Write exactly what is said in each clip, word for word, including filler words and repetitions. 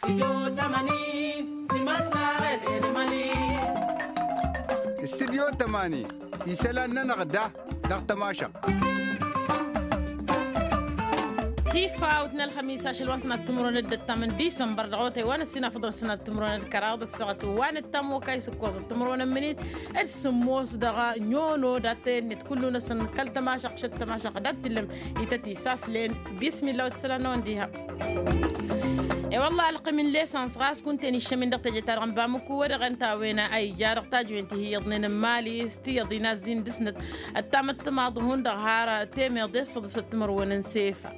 Studyo tămani. Isălan-nănăɣ da dăɣ-tămašăɣt. Tifawt n-ălxămis ašăl wa n-sănat timǝrwen d-ăttam n-disămbăr dăɣ-otay wa n-ăssinafăḍăn sănat timǝrwen d-kăraḍ ăssaɣăt wa n-ăttam okay s-ǝkkoẓăt timǝrwen n-imǝnit d-sǝmmos dăɣ-nyono dat-tăyănnet kullu-năsăn kăl-tămašăɣt šăt tămašăɣt dat-tǝllăm. Ităt isaslen. Bismillah wa t-isălan-năwăn diha. I-wălla ălqim n-lesans ɣas kunta-en iššămin dăɣ-teje-ta-dăɣ n-bamǝku wa dăɣ-en ta a-wen a ija dăɣ-tajwen ti hi-iyyăḍnen n-imali s-tiyyăḍ inazzin dăɣ-snăt. Ăttam d-timaḍ hundăɣ har temeḍe s-săḍǝsăt timărwen n-sefa.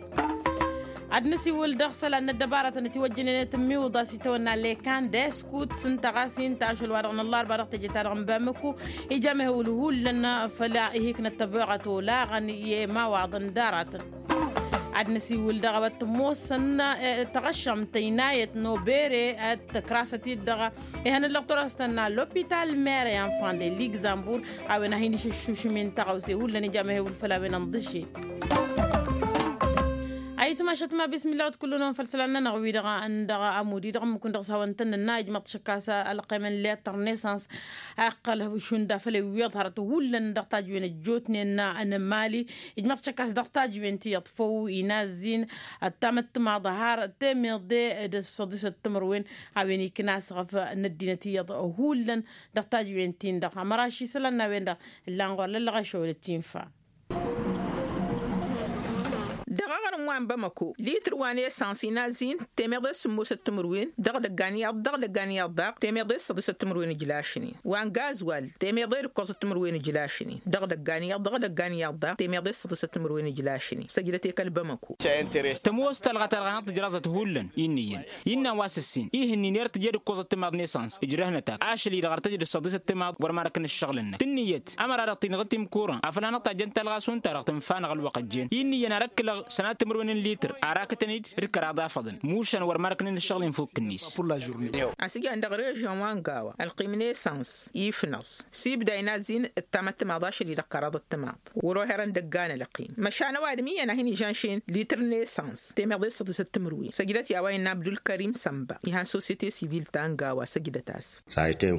Ad-nǝsiwǝl dăɣ-isălan n-ăddăbaratăn itiwăjjănen i-tǝmmiwǝḍa s-itawănna lekan d-eskut s-ǝnta ɣas inta ašăl wa dăɣ-năllarba dăɣ-teje-ta-dăɣ n-bamǝku. Ija mehewǝl hullan făll-ihiknăt tăboɣăt olaɣăn i-imawaḍăn d-aratăn. Ad-năsiwǝl dăɣ-a-wa t-ămoosăn tăɣăššăm tăynayăt n-obere ad-tăkrasăt-dd dăɣ-ihăn ăllăɣ turăstăn n-alopital mere enfant de ligzambur. A-wen a hin-išǝššušǝm-in tăɣawse hullan ija mehewǝl făll-a-wen ănḍǝšše. Ayǝtmašăt ma bismillah wa t-kullu-năwăn făll-isălan-nănăɣ wi-dăɣ n-dăɣ-amudi dăɣ-ǝmmǝk-win dăɣ-s hawăn-tăn-nǝnna ijmăḍ tišǝkkas ălqem n-letăr nesans. Ăqqăl šund afăl iwweḍ hărăt hullan dăɣ-tajwen ăjjootnen n-mali. Ijmăḍ tišǝkkas dăɣ-tajwen ti iyyăḍ făw inazzin ăttam d-timaḍ har temeḍe d-săḍisăt timǝrwen. A-wen ikna asɣăf n-ăddinăt iyyăḍ hullan dăɣ-tajwen-tin-dăɣ ămăraš isălan n-a-wen-dăɣ. Ǝllan ɣur-lăllăɣ ašăwăl ăttinfa. Dăɣ-aɣrǝm wa n-bamăko litǝr wa n-esans inazzin temeḍe s-sǝmmosăt timǝrwen dăɣ-idăggan iyyăḍ dăɣ-idăggan iyyăḍ daɣ temeḍe s-săḍisăt timǝrwen ijlašnen wa n-gazwal temeḍe d-ǝkkoẓăt timǝrwen ijlašnen dăɣ-idăggan iyyăḍ dăɣ-idăggan iyyăḍ daɣ temeḍe s-săḍisăt timǝrwen ijlašnen săjdăt i-kăl-bamăko. Tămoos talɣa-ta-dăɣ hanăɣ-tǝjraẓăt hullan innă iyyăn innă wa s-ǝssin ihǝnnin i-ad-tǝjed ǝkkoẓăt timaḍ n-esans ǝjrăhnăt-ak ašăl-i-dăɣ ar tăjăd ǝssăḍisăt timaḍ wăr marăkăn ǝššăɣǝl-năk tǝnnǝyăt ămăra-dăɣ-t-inɣǝt imkuran afăl hanăɣ-tajjăn talɣa šund-ta-dăɣ tǝnfa-anăɣ ălwăqq ăjjeen innă iyyăn ar ăkkǝlăɣ sănat timǝrwen n-litǝr ar akǝtăn-dd d-kăraḍ afăḍăn mušan wăr marăkăn ǝššăɣǝl-in fukk-net. Asǝjan dăɣ-režion wa n-gawa ălqim n-esans ifnăẓ s-ibda inazzin d-tamăttămaḍ ašăl-i-dăɣ kăraḍăt timaḍ wăr-oherăn dăgg-anălăqim măšan ăwadǝm iyyăn a hin-ižănšen litǝr n-esans temeḍe s-săḍisăt timǝrwen săjdăt i-a-wa innă abdulkărim sănba ihan sosyete sivil ta n-gawa săjdăt-as.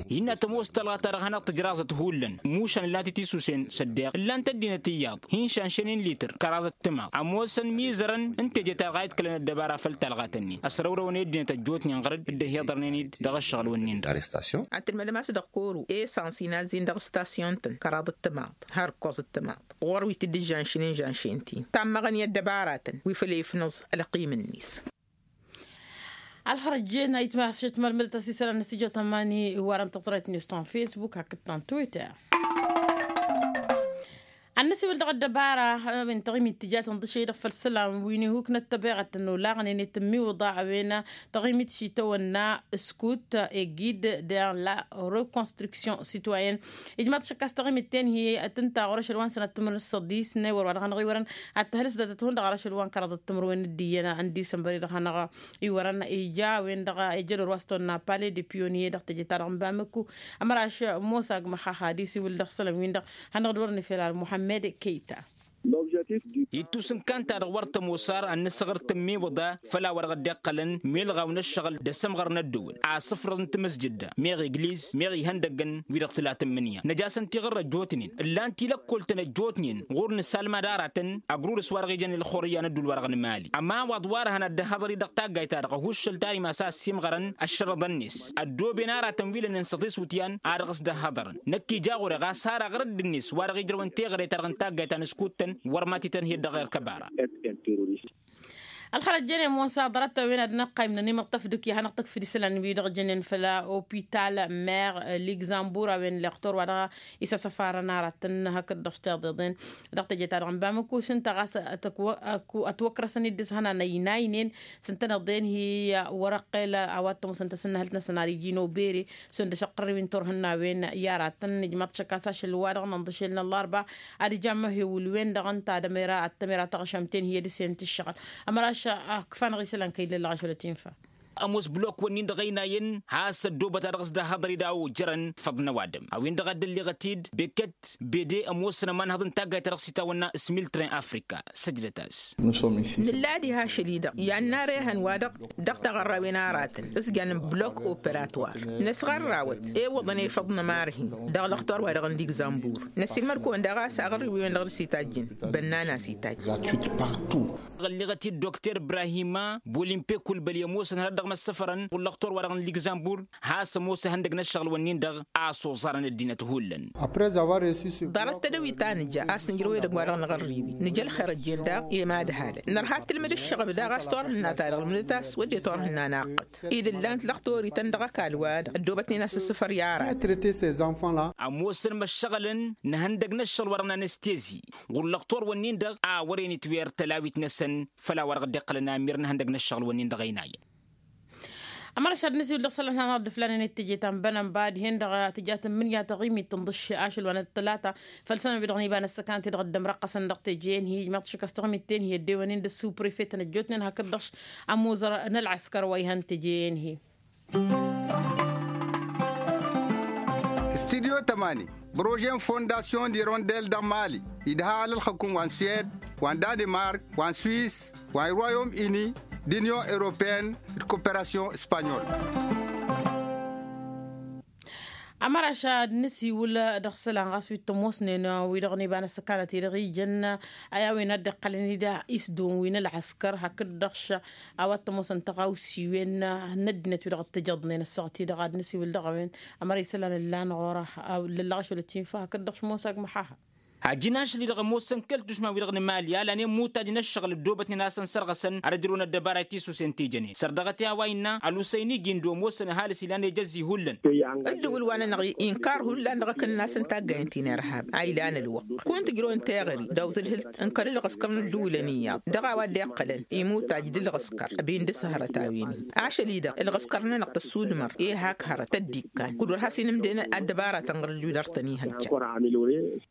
Innă tămoos talɣa-ta-dăɣ hanăɣ-tǝjraẓăt hullan mušan ǝllan-t i-tisusen s-ăddeɣ ǝllan-t ăddinăt iyyăḍ hin-šanšănen litǝr kăraḍăt timaḍ ămoosăn imizărăn n-teje ta dăɣ-a iḍkălăn ăddăbara făll-talɣat-nin ăsrăwrăwăn i-ăddinăt ăjjootnen ɣăr-dd ăhiḍărnen-dd dăɣ-ǝššăɣǝl-wǝnnin-dăɣ. Arrestation ad-tǝlmădăm a-s dăɣ-koro esans inazzin dăɣ-stasyon-tăn kăraḍăt timaḍ har ǝkkoẓăt timaḍ ɣur-wi t-dd-ǝžžanšnen žănšen-t-in tammăɣăn i-ăddăbaratăn wi făll-efnăẓ ălqim-net. Ălxărăjjen a itmašăt mălmădăt ăsisălan n-asijăt ămani iwarăn tăẓrayt n-iwǝstan facebook hakd ta n-twitter. Ad-nǝsiwǝl dăɣ-ăddăbara a-wen taɣimit tǝjat ǝnḍǝšăy-dăɣ făll-isălan wi n-ihuknăt tăbeɣăt n-olaɣnen i-tǝmmiwǝḍa a-wen taɣimit šitawănna ǝskut egid de la reconstruction citoyenne. Ijmaḍ šăkkas taɣimit-ten hi-tǝnta ɣur-ašăl wa n-sănat timǝrwen s-săḍis n-ewăr wa dăɣ-hanăɣ-iwărăn ad-tăhǝlǝs datăt hundăɣ ɣur-ašăl wa n-kăraḍăt timǝrwen d-iyyăn n-disămbăr-i-dăɣ hanăɣ-iwărăn ija a-wen-dăɣ ejădor wa s-tăwănna pale de pionnier dăɣ-teje-ta-dăɣ n-bamǝkku. Ămăraš musa agmăxax ad-isiwǝl dăɣ-isălan-win-dăɣ hanăɣ-dd-wărăn ifel ar muhammed keyta. Ittus n-kanta-dăɣ wăr tămoos ar ad-nǝsɣăr tǝmmiwǝḍa făll-a-wa dăɣ-dd-iqqălăn milɣaw n-ǝššăɣǝl d-asǝmɣăr n-ăddăwăl asǝfrăḍ n-timǝsjǝdda meɣ igliz meɣ ihăndăggăn wi-dăɣ tǝla tǝmmǝnǝya năj'-asăn tiɣǝrra ăjjootnen ǝllan-t i-lăkkol-tăn ăjjootnen ɣur-nǝsalmad aratăn ăgrurǝs wa dăɣ-ijăn i-ălxurǝyya n-ădduul wa dăɣ-nǝmali ămawaḍ wa dărhăn ad-dd-ăhhăḍăr-i dăɣ-taggayt-ta-dăɣ ăhuššăl tarimas a ăssiimɣărăn ăššărăḍăn-net ăddooben aratăn wi lănen s-aḍis wǝtyan a dăɣ-s dd-ăhhăḍărăn năkk ija ɣur-e ɣas har aɣrǝdd-net wa dăɣ-ijrăwăn teɣăre-ta-dăɣ n-taggayt ta n-askuttăn wăr ma t-itănhed dăɣ-erk ăbara. Ălxărăt jănen musa ḍarăt-a-wen ad-năqqaymnăn imǝṭṭăf dǝkya hanăɣ-tăkfǝd isălan-wi-dăɣ jănen făll-opital mer ligzambur a-wen lăqtor wa dăɣ-isăsăfarăn aratăn hakd dăɣ-s tiḍeḍen dăɣ-teje-ta-dăɣ n-bamǝkku s-ǝnta ɣas ătwăkrăsăn-dd s-hănan ăynaynen s-ǝntăneḍ-en hi-wăr-ăqqel a-wa t-ămoosăn tasǝnnăhălt-năsăn ar iji n-obere šund ăšăqqărrew-in turhǝnnawen i-aratăn ijmaḍ tišăkkas ašăl-wa-dăɣ n-inḍǝšel n-ăllarba ad-ija amăhewǝl-wen-dăɣ ǝnta ad-ămera ad-tămera taɣšămt-en hi-ădǝsen tǝššăɣǝl. Ămăraš ăkf'-anăɣ isălan kăy-dd-lăllăɣ ašăl ătinfa. ămoos blok-wǝnnin-dăɣ ăynayăn has-ăddoobăt a dăɣ-s dd-ahăḍăr-i d-a-wa ojărăn făḍ n-ăwadǝm a-wen-dăɣ a dd-ălleɣăt-dd beket bede ămoosăn ămanhăḍ n-taggayt ta dăɣ-s itawănna s-miltren afrika. Săjdăt-as. Nǝlla diha ašăl-i-dăɣ i-ad-narehăn wa-dăɣ dăɣ-taɣărrawen aratăn s-jan n-blok operatwar năsɣărrawăt ewăḍăn efăḍ n-ămarhin dăɣ-lăxtor-wa-dăɣ n-ligzambur. Năssiilmăd-kăwăn daɣ a-s aɣărriwen dăɣ-dăɣ s-itajjǝn bănnan a-s itajj. Ălleɣăt-dd dokter ibrahima bolimpe kulbăl i-ămoosăn hărăt dăɣ-măssăfărăn ɣur-lăxtor-wa-dăɣ n-ligzambur has-ămoos ihăndăg n-ăššăɣǝl-wǝnnin-dăɣ a-s oẓarăn ăddinăt hullan. Ḍarăt tedăwit ta nǝja a-s nǝjrăw edăgg-wa-dăɣ năɣărriwi nǝja ălxer ăjjeen daɣ i-mad-ăhalăn nărha ad-tǝlmǝd ǝššăɣǝb daɣ a-s turhǝnna ta dăɣ-lǝmdǝt-as wădden turhǝnna naqqăt. Idǝllan tlăxtorităn dăɣ-ăkall-wa-dăɣ ăddoobătnen a-s ǝssǝfăr i-aratăn. Ămoosăn măššăɣǝlăn n-ihăndăg n-ǝššăɣǝl-wa-dăɣ n-anestezi ɣur-lăxtor-wǝnnin-dăɣ a wăren itwer tălawit-năsăn făll-a-wa-dăɣ dd-iqqălăn amir n-ihăndăg n-ǝššăɣǝl-wǝnnin-dăɣ ăynayăn. Ămăra šad n-asiwǝl dăɣ-isălan hanăɣ-dd-ǝflanen i-teje ta n-bănănba dihen-dăɣ tǝja tǝmmǝnǝya taɣimit tǝnḍǝš ašăl wa n-ăṭṭălata făll-isălan-wi-dăɣ n-iba n-ăssăkanăt-i-dăɣ dd-ămrăqqăsăn dăɣ-teje-en-hi ijmaḍ-t šik a-s taɣimit-ten-hi ăddewăn-in d-ăssuprefet n-ăjjootnen hakd-dăɣ-š ămuzăr n-ălɣăskăr wa ihăn teje-en-hi. Studyo tămani, brože n-fondasyon d-irondel dăɣ-mali idha alălxăkum wa n-suwed wa n-danemark wa n-swis wa n-royom ini d-inyon europeyăn d-koperasyon s-panyol. Ămăraš ad-nǝsiwǝl dăɣ-isălan ɣas wi t-ămoosnen wi-dăɣ n-iba n-ăssăkanăt-i-dăɣ ijăn a-wen a dd-iqqălăn-dd isdon wi n-ălɣăskăr hakd-dăɣ-š a-wa t-ămoosăn tăɣawsiwen n-ăddinăt wi-dăɣ t-ǝjăḍnen ăssaɣăt-i-dăɣ ad-nǝsiwǝl dăɣ-a-wen. Ămăra isălan ǝllan ɣur-e lăllăɣ ašăl ătinfa hakd-dăɣ-š ămoos agmăḥaha. Ajǝn ašăl-i-dăɣ ămoosăn kăl-tušma-wi-dăɣ n-imali a lanen mutaj n-ǝššăɣǝl ăddoobătnen a-s ănsărɣăsăn ad-ăjrăwăn ăddăbara i-tisusen tijănen săr dăɣ-t i-a-wa innă ălusăyni gindo ămoosăn ăhalǝs ilan ejăzzi hullan. Ǝddǝwǝl wa-nănăɣ inkar hullan dăɣ-akǝnnas n-taggayen ti n-irhab a ilan ălwăqq. Kăwăn-tǝjrăwăn teɣări daw-tǝdhǝlt n-kăl-ǝlɣǝskăr n-ǝddǝwǝlăn iyyăḍ dăɣ-a-wa dd-iqqălăn imuttaj d-ǝlɣǝskăr ăbin dăr-s hărăt a-wen-hi. Ašăl-i-dăɣ ǝlɣǝskăr-nănăɣ tăssudmăr i-hak hărăt tăddikan kud-wăr has-inǝmdăyăn ăddăbara tănɣărǝllu dăr-tăn-ihăjja.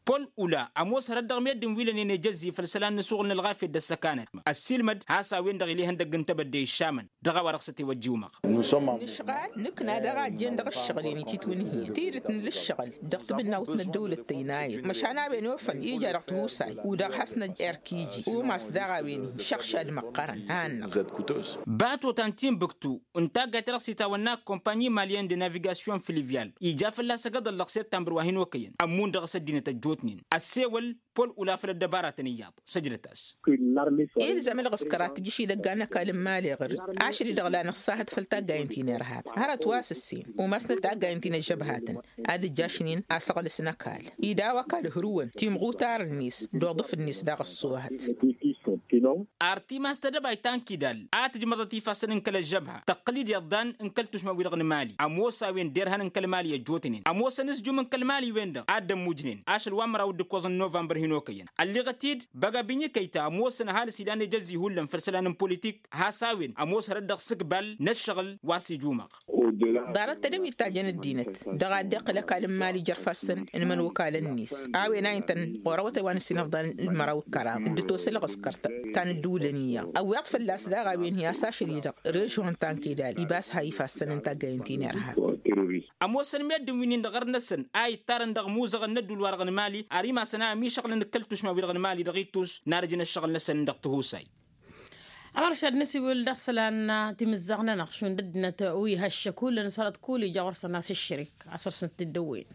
Pol ula ămoos hărăt dăɣ-meddǝn wi lănen ejăzzi făll-isălan n-asuɣǝl n-ălɣafyăt d-ăssăkanăt ăssiilmăd has-a-wen-dăɣ ila ihăndăgg n-tebădde iššamăn dăɣ-a-wa-dăɣ s-ătiwăjjǝwmăɣ. Nǝšɣal nǝkna dăɣ-a ǝjjen dăɣ-ǝššăɣǝl-en ititwǝnhǝyăn tidǝt n-ǝlǝššăɣǝl dăɣ-tǝbǝnnawt n-ăddăwlăt tăynayăn măšan a-wen ofăn ija dăɣ-tihusay. U-dăɣ has-năj-erkiji umas daɣ a-wen-hi šăɣšad măqqărăn a-năɣ. Batotan timbuktu n-taggayt ta dăɣ-s itawănna kămpanyi malyen de navigasyon filivyal ija fălla-s ăgg aḍăl dăɣ-săttămbăr wa hin-okăyăn ămmun dăɣ-s ăddinăt ăjjootnen ăssewăl. Pol ula făll-ăddăbaratăn iyyăḍ săjdăt-as. Ilzam ălɣǝskăr ad-t-ǝjǝš idăgg a n-ăkall n-imali ɣǝr-dd ašăl-i-dăɣ la nǝṣṣahăt făll-taggayen ti n-irhab hărăt wa s-ǝssen umasnăt taggayen ti n-ăžžăbhatăn ad-ǝjjašnen asăɣlǝs n-ăkall. Idaw ăkall hărǝwăn timɣutar-net d-oḍǝf-net daɣ ăṣṣoohăt. Ar timas tedăbayt ta n-kidal a tǝjmăḍăt ifassăn n-kăl-ăžžăbha tăqqǝl-dd iḍḍan n-kăl-tušma-wi-dăɣ n-imali ămoos a-wen derhan n-kăl-imali ăjjootnen ămoosăn s-jum n-kăl-imali-wen-dăɣ a dd-ămmujnen ašăl wa n-măraw d-ǝkkoẓ n-novămbăr hin-okăyăn. Ălliɣăt-dd băgabinyi kăyta ămoosăn ăhalǝs ilan ejăzzi hullan făll-isălan n-politik has-a-wen ămoos hărăt dăɣ-sǝkbal n-ăššăɣǝl wa s-ijumăɣ. Ḍarăt tedăwit ta jăn ăddinăt dăɣ-a dd-iqqǝl ăkall n-imali jer-ifassăn n-imănokalăn-net a-wen a intăn ɣur-awătay wa n-ǝssin ăfḍăn d-măraw d-kăraḍ dd-ătoss ălɣǝskăr ta n-ǝddǝwǝlăn iyyăḍ ăwweḍ fălla-s daɣ a-wen hi-a-s ašăl-i-dăɣ režion ta n-kidal ibas ha ifassăn n-taggayen ti n-irhab. Ămoosăn meddǝn wi-nin-dăɣ ɣărnăsăn a ittarăn dăɣ-imuzăɣăn n-ădduul-wa-dăɣ n-imali ar imasăn a ămišăɣlăn d-kăl-tušma-wi-dăɣ n-imali dăɣ-ittus n-arǝjǝn ăššăɣǝl-năsăn dăɣ-tihusay. Ămăršad n-asiwǝl dăɣ-isălan timǝzzaɣ-nănăɣ šund ăddinăt wi ha ǝššăk hullan s-hărăt kull ija ɣur-săn a-s ǝššărik a săr-săn t-dd-ăwwen.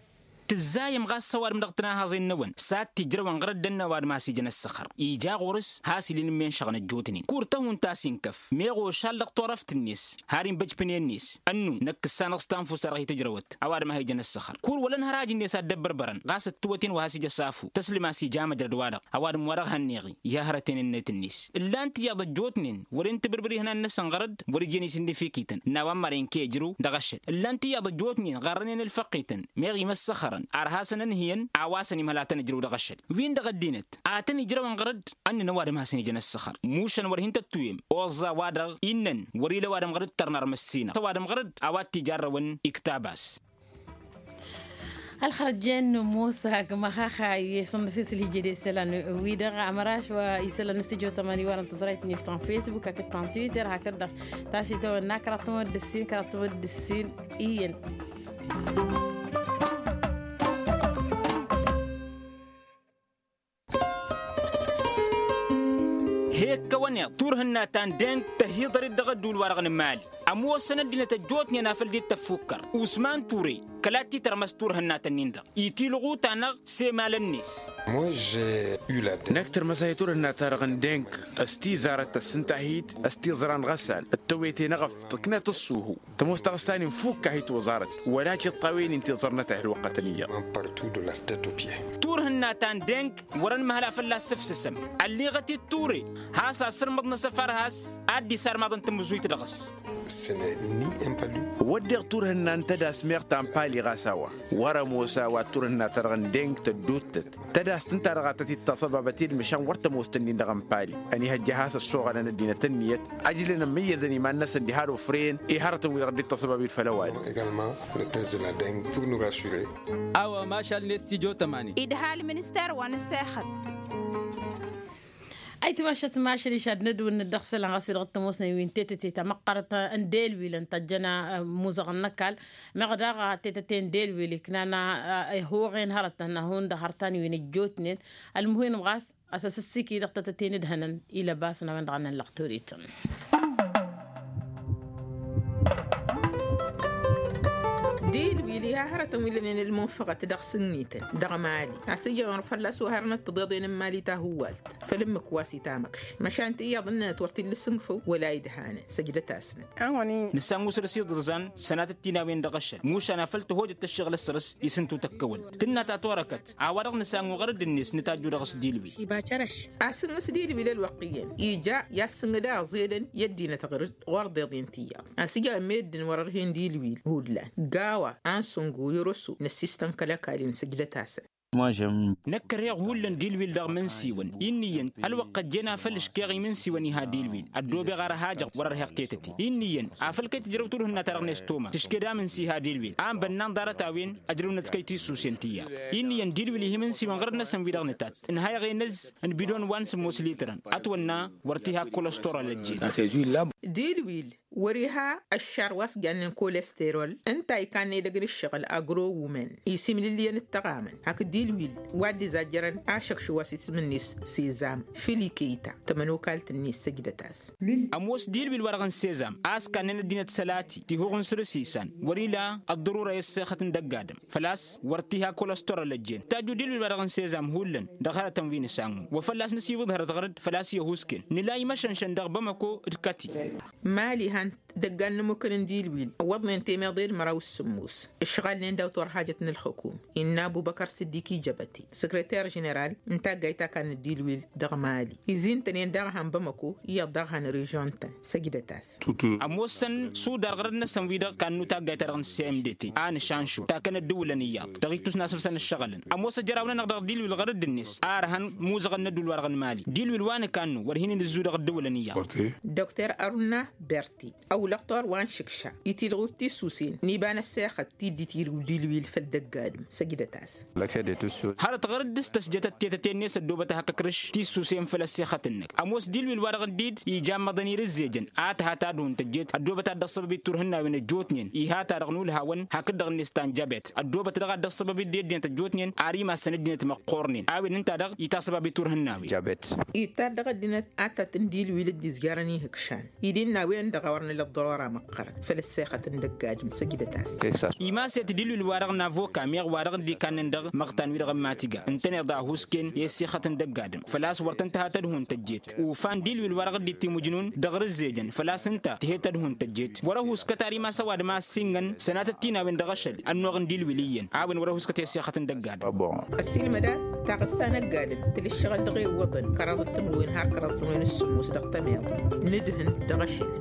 Tǝzzayăm ɣas ăwadǝm dăɣ-tinahăẓen-năwăn s-ad-t-ijrăwăn ɣărăt d-ănn ăwadǝm a has-ijăn ăssăxăr ija ɣur-s has-ila inǝmmenšăɣăn ăjjootnen kur tăhunt a-s inkăf meɣ ošal dăɣ-turăft-net har inbăjpǝnen-net. Ănnu năkk ǝssanăɣ s-tanfust-ta-dăɣ hi-tǝjrăwăt ăwadǝm a hi-ijăn ăssăxăr kur wălăn hăraj-net ad-dd-ăbbărbărăn ɣas ăttăwăt-in wa has-ija s-afu tăslǝm a-s ija măjrăd-wa-dăɣ. Ăwadǝm-wa-dăɣ hannăyăɣ-i i-hărăten-net-net ǝllan-t iyyăḍ ăjjootnen wăren tǝbǝrbǝr ihănan-năsăn ɣărădd wăr-ijăn isǝnnǝfikităn n-a-wa n-maren kăy-ăjrǝw dăɣ-ašăl ǝllan-t iyyăḍ ăjjootnen ɣarrănen ǝlfăqqităn meɣ imăssăxărăn ar hasăn-ǝnhǝyăn a-wa săn imhăl ad-tăn-ǝjrǝw dăɣ-ašăl. Win-dăɣ ăddinăt ad-tăn-ijrăwăn ɣărădd ănnăn ăwadǝm hasăn-ijăn ăssăxăr mušăn wăr hin-tăttuwem oẓẓa-wa-dăɣ innăn wăr-ila ăwadǝm ɣărădd tărnar măssinăɣ s-ăwadǝm ɣărădd a-wa t-ijarrăwăn iktab-as. Ălxărăt jen n-ămoos hakd măxaxa i-sănnăf isǝlhǝjed i-isălan-wi-dăɣ amăraš wa isălan n-stujo tămani wa n-tăẓrayt n-istăn facebook hakd ta n-twitter hakd-dăɣ tasităwăn n-akra tămăddǝssin kra tămăddǝssin. Iyyăn. He-ǝkkăwăn iḍ turhǝnna ta n-deng tăhiḍăr-dd dăɣ-ădduul-wa-dăɣ n-mali. Ămoosăn ăddinăt ăjjootnen afăl dd-tăffukkăr usman ture kăla t-titărmăs turhǝnna-tăn-in-dăɣ itilɣu-ta-năɣ s-emalăn-net. Năkk tărmăsay turhǝnna-ta-dăɣ n-deng s-tizarăt tăssǝnta-hi-dd s-tiẓra n-iɣăssan d-tewete n-eɣăft tǝknăt ǝṣṣuhu tămoos taɣǝssa-nin fukk-ahi toẓarăt wăla tiṭṭawen-in tiẓărnăt a hi-ălwăqqătăn iyyăḍ. Turhǝnna ta n-deng wăr-ănmăhăl a fălla-s sǝfsǝsăm ălliɣăt-dd ture has-asǝrmǝḍ n-asăfar has-ad-dd-isarmaḍăn tamǝzuyt dăɣ-s. Wădden turhǝnna n-tădas meɣ ta n-pali ɣas a-wa wăr-ămoos a-wa turhǝnna-ta-dăɣ n-deng tădduuttăt tădast ǝnta-dăɣ a tăt-dd-taṣăbabăt i-dd măšan wăr tămoos-tăn-in-dăɣ n-pali ănihăjja has-ăssoɣălăn ăddinăt ǝnniyăt ăjlăn ămmăyyăzăn iman-năsăn diha d-ofren i-hărătăn-wi-dăɣ dd-taṣăbab-dd făll-ăwadǝm. Awămašal n-estijotămani. Idhal minister wa n-ăssexăt. Ayǝtmašăt mašăl išad n-ădwǝnnăt dăɣ-isălan ɣas wi-dăɣ t-ămoosnen wi n-tetăte ta măqqărăt n-delwil ǝnta ăjjăn amuzăɣăn n-ăkall meɣ daɣ tetăte n-delwil iknan ihuɣen hărătăn hundăɣ hărătăn wi n-ăjjootnen. Ălmuhim ɣas a-s ăsǝssiki dăɣ-tetăte n-ǝdhănăn ilăbasăn a-wen-dăɣ a nănlăɣ torităn. Dilwil iha hărătăn wi lănen ălmunfăɣăt dăɣ-sǝnnităn dăɣ-mali a-s ǝjăn wăr fălla-s oharăn d-tiḍeḍen n-mali tahuwalt făll-ǝmmǝk wa s-itamăkš măšan tiyyăḍ ǝnnănăt wăr t-illa s-ǝnfăw wăla idhanăn săjdăt-asnăt. Nǝsangu săr-s iḍǝrzan sănatăt tinawen dăɣ-ašăl mušan afăl tăhojăt tăššiɣlăt săr-s isǝntu tăkkăwălt tǝnna ta torăkăt a-wa-dăɣ nǝsangu ɣărăd-net nǝtajju dăɣ-s dilwil. Asǝnnǝs dilwil ălwăqq iyyăn ija i-ad-sǝnnǝd aẓedăn i-ăddinăt ɣărăd ɣur-deḍen tiyyăḍ a-s ija ămmeddǝn wăr-ărhen dilwil hullan gawa ansǝngu i-rusu n-ăssistăn kăl-ăkall-in săjdăt-asăn. Năkk ărheɣ hullan dilwil dăɣ-imǝnsiwăn inn'-iyyăn ălwăqq ăjjeen afăl ǝškeɣ imǝnsiwăn iha dilwil ăddoobeɣ ar ăhajăɣ wăr-ărheɣ tetăte inn'-iyyăn afăl kăy-tǝjrăw turhǝnna-ta-dăɣ n-estoma tǝšked amǝnsi iha dilwil a ănbănnan ḍarăt-a-wen ăjrăwnăt kăy-tisusen tiyyăḍ. Inn'-iyyăn dilwil ih' imǝnsiwăn ɣărăt-năsăn wi-dăɣ nǝtat ǝnhayăɣ enăzz n-bidon wa n-sǝmmos litărăn ătwănna wăr t-iha kăl-kălăstor alăjjed. Dilwil wăr-iha ăššar wa s-jannen kolesterol ǝnta ikanna edăgg n-ǝššăɣǝl agro-wumen isimlǝllǝyăn d-tăɣamăn hakd dilwil wa dd-izajjărăn ašăkš wa s-isǝm-net sezam filikeyta tămănokalt-net săjdăt-as. Ămoos dilwil-wa-dăɣ n-sezam a-s kannen ăddinăt sălati tihuɣ n-săr-s isan wăr-ila ăḍḍărura i-ăssexăt n-dăgg-adǝm făl-a-s wăr t-iha kăl-ăstor ălăjjen tajju dilwil-wa-dăɣ n-sezam hullan dăɣ-hărătăn wi n-isangu wa făl-a-s nǝsiwǝḍ hărăt ɣărăd făl-a-s i-ăhuusken nǝla imăšănšăn dăɣ-bamăko d-kăti. Mali han dăggan n-ămmukăn n-dilwil ăwwăḍnen temeḍe d-măraw s-sǝmmos ǝšɣalnen daw-torhajăt n-ălxǝkum innă ăbubăkăr sǝddik ijăbăte săkrăter ženeral n-taggayt ta kannăt dilwil dăɣ-mali izintăn-en daɣ han bamăko iyyăḍ daɣ han režion-tăn săjdăt-as. Ămoosăn sudar ɣărăd-năsăn wi-dăɣ kannu taggayt-ta-dăɣ n-cmdt a nǝšanšur takăn ăddǝwǝlăn iyyăḍ dăɣ-ittus n-asǝbsăn ǝššăɣǝlăn ămoos ăjraw-nănăɣ dăɣ-dilwil ɣărăd-net a ărhăn muzăɣăn n-ădduul-wa-dăɣ n-mali dilwil wa nǝkannu wăr hin-inǝzzu dăɣ-ăddǝwǝlăn iyyăḍ. Dokter aruna berti ăwlăɣ tor wa n-šǝkša itilɣu d-tisusen n-iba n-ăssexăt tiddi tilɣu dilwil făll-dăgg-adǝm săjdăt-as. Hărăt ɣărăd dăɣ-s tăsjătăt tetăte-net ăddoobăt ad-hak-ǝkrǝš tisusen făll-ăssexăt-năk ămoos dilwil-wa-dăɣ dd-ija ămmăḍăn irǝzzejăn a tǝha tadhun tăjjet ăddoobăt ad-dăɣ-săbăb-dd turhǝnnawen ăjjootnen iha-ta-dăɣ n-ulhawăn hakd-dăɣ-net ta n-jabet ăddoobăt daɣ ad-dăɣ-săbăb-dd i-ăddinăt ăjjootnen ar imassăn ăddinăt măqqoornen a-wen ǝnta-dăɣ itasăbab i-turhǝnnawen. Ittar dăɣ-ăddinăt ad-tat n-dilwil dd-izjarăn ihǝkšan id-innă a-wen-dăɣ a wăr nǝla ăḍḍărora măqqărăn făll-ăssexăt n-dăgg-adǝm săjdăt-as. Imaset dilwil-wa-dăɣ n-avoka meɣ wa-dăɣ dd-ikannen dăɣ-măɣtan-wi-dăɣ n-matiga ǝntăneḍ a ăhuusken i-ăssexăt n-dăgg-adǝm făl-a-s wăr tăn-tǝha tadhun tăjjet ufan dilwil-wa-dăɣ dd-timǝjnun dăɣ-rǝzzejăn făl-a-s ǝnta tǝhed tadhun tăjjet wăr-ăhuuskăt ar imass ăwadǝm a ăssiingăn sănatăt tinawen dăɣ-ašăl ănnuɣ n-dilwil iyyăn a-wen wăr-ăhuuskăt i-ăssexăt n-dăgg-adǝm. Ăssiilmăd a-s taɣǝssa n-ăgg-adǝm tǝlǝššăɣăl dăɣ-e iwwăḍăn kăraḍăt n-wen har kăraḍăt n-wen s-sǝmmos dăɣ-tămeḍt n-ǝdhǝn dăɣ-ašăl.